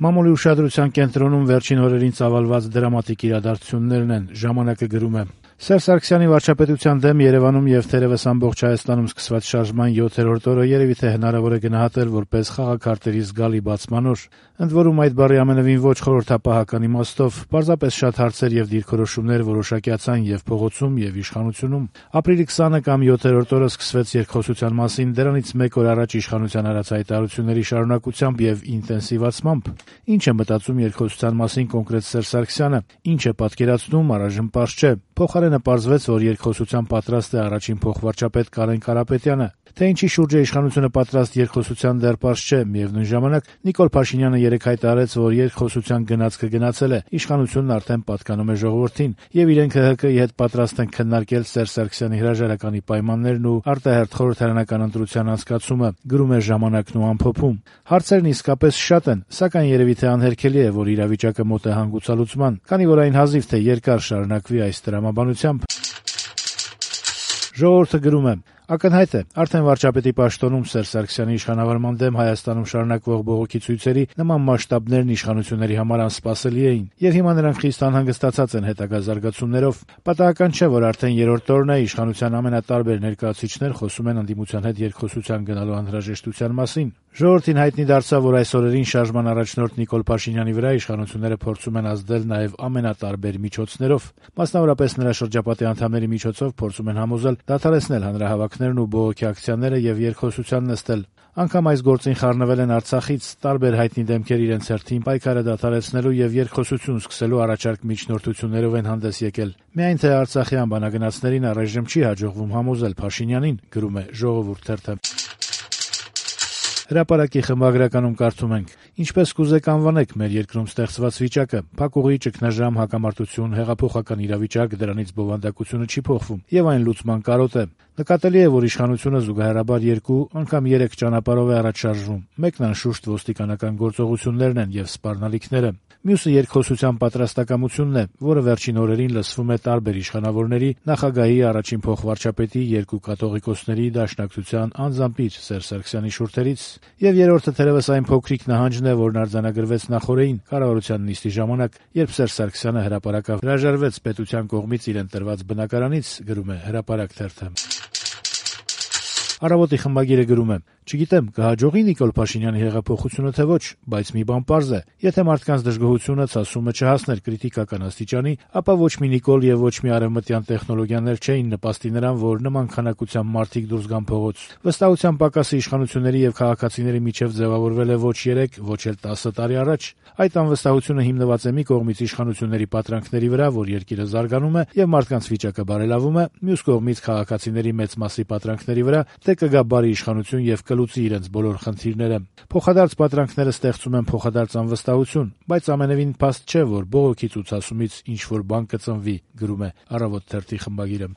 Մամուլի ուշադրության կենտրոնում վերջին օրերին ծավալված դրամատիկ իրադարձություններն են, «Ժամանակ»-ը գրում է. Սերժ Սարգսյանի վարչապետության դեմ Երեւանում եւ թերեւս ամբողջ Հայաստանում սկսված շարժման 7-րդ օրը երեւի թե հնարավոր է գնահատել որպես խաղաքարտերի զգալի բացման օր։ Ընդ որում այդ բառի ամենևին ոչ խորհրդապահական իմաստով, պարզապես շատ հարցեր եւ դիրքորոշումներ որոշակյացան եւ փողոցում եւ իշխանությունում։ Ապրիլի 20-ը կամ 7-րդ օրը սկսվեց երկխոսության մասին դրանից մեկ օր առաջ իշխանության արած հայտարարությունների շարունակությամբ եւ ինտենսիվացմամբ։ Ինչ է մտածում երկխոսության մասին կոնկրետ Սերժ Սարգսյանը, ինչ է պատկերացնում, առայժմ պարզ չէ։ Փոխարենը պարզվեց, որ երկխոսության պատրաստ է առաջին փոխվարչապետ Կարեն Կարապետյանը։ Թե ինչի շուրջ է իշխանությունը պատրաստ երկխոսության դեռ պարզ չէ, միևնույն ժամանակ Նիկոլ Փաշինյանը երեկ հայտարարեց, որ երկխոսության գնացքը գնացել է, իշխանությունն արդեն պատկանում է ժողովրդին, եւ իրենք ՀՀԿ-ի հետ պատրաստ են քննարկել Սերժ Սարգսյանի հրաժարականի պայմաններն ու արտահերթ խորհրդարանական ընտրության անցկացումը, գրում է «Ժամանակն» ու ամփոփում։ Հարցերն իսկապես շատ են, սակայն երևի թե անհերքելի է, որ իրավիճակը մոտ է հանգուցալուծման, քանի որ այն հազիվ թե երկար շարունակվի այս տրամաբանությամբ։ «Ժողովուրդ»-ը գրում է. Ակնհայտ է, արդեն վարչապետի պաշտոնում Սերժ Սարգսյանի իշխանավարման դեմ Հայաստանում շարունակվող բողոքի ցույցերի նման մասշտաբներն իշխանությունների համար անսպասելի էին, եւ հիմա նրանք խիստ անհանգստացած են հետագա զարգացումներով։ Պատահական չէ, որ արդեն երրորդ օրն է իշխանության ամենատարբեր ներկայացուցիչներ խոսում են ընդդիմության հետ երկխոսության գնալու անհրաժեշտության մասին։ Ժողովրդին հայտնի դարձավ, որ այս օրերին շարժման առաջնորդ Նիկոլ Փաշինյանի վրա իշխանությունները փորձում են ազդել նաեւ ամենատարբեր միջոցներով։ Մասնավորապես նրա շրջապատի անդամների միջոցով փորձում են համոզել դադարեցնել հանրահավաքներն ու բողոքի ակցիաները եւ երկխոսության նստել։ Անգամ այս գործին խառնվել են Արցախից տարբեր հայտնի դեմքեր իրենց հերթին պայքարը դադարեցնելու եւ երկխոսություն սկսելու առաջարկ միջնորդություններով են հանդես եկել։ Միայն թե Արցախի անբանագնացներին առայժմ չի հաջողվում համոզել Փաշինյանին, գրում է «Ժողովուրդ» թերթը։ Հրապարակի խմբագրականում կարդում ենք. Ինչպես կուզեք անվանեք մեր երկրում ստեղծված վիճակը, փակուղի, ճգնաժամ, հակամարտություն, հեղափոխական իրավիճակ, դրանից բովանդակությունը չի փոխվում եւ այն լուծման կարոտ է։ Նկատելի է, որ իշխանությունը զուգահեռաբար 2, անգամ 3 ճանապարհով է առաջ շարժվում։ Մեկն անշուշտ ոստիկանական գործողություններն են եւ սպառնալիքները։ Մյուսը երկխոսության պատրաստակամությունն է, որը վերջին օրերին լսվում է տարբեր իշխանավորների, նախագահի, առաջին փոխվարչապետի, 2 կաթողիկոսների, Դաշնակցության, անձամբ իր Սերժ Սարգսյանի շուրթերից, եւ երրորդը թերեւս այն փոքրիկ նահանջն է, որն արձանագրվեց նախօրեին կառավարության նիստի ժամանակ, երբ Սերժ Սարգսյանը հրապարակավ հրաժարվեց պետության կողմից իրեն տրված բնակարանից, գրում է «Հրապարակ» թերթը։ Առավոտի խմբագիրը գրում է. Չգիտեմ, կհաջողի Նիկոլ Փաշինյանի հեղափոխությունը թե ոչ, բայց մի բան պարզ է. եթե մարդկանց դժգոհությունը ցասումը չհասներ կրիտիկական աստիճանի, ապա ոչ մի Նիկոլ եւ ոչ մի արևմտյան տեխնոլոգիաներ չէին նպաստի նրան, որ նման քանակությամբ մարդիկ դուրս գան փողոց։ Վստահության պակասը իշխանությունների եւ քաղաքացիների միջեւ ձևավորվել է ոչ 3, ոչ էլ 10 տարի առաջ։ Այդ անվստահությունը հիմնված է մի կողմից իշխանությունների պատրանքների վրա, որ երկիրը զարգանում է եւ մարդկանց վիճակը բարելավում է, մյուս կողմից քաղաքացիների մեծ մասի պատրանքների վրա, թե կգա բարի իշխանություն եւ կլուծի իրենց բոլոր խնդիրները։ Փոխադարձ պատրանքները ստեղծում են փոխադարձ անվստահություն, բայց ամենևին փաստ չէ, որ բողոքի ցուցասումից ինչ որ բան կծնվի, գրում է «Առավոտ» թերթի խմբագիրը։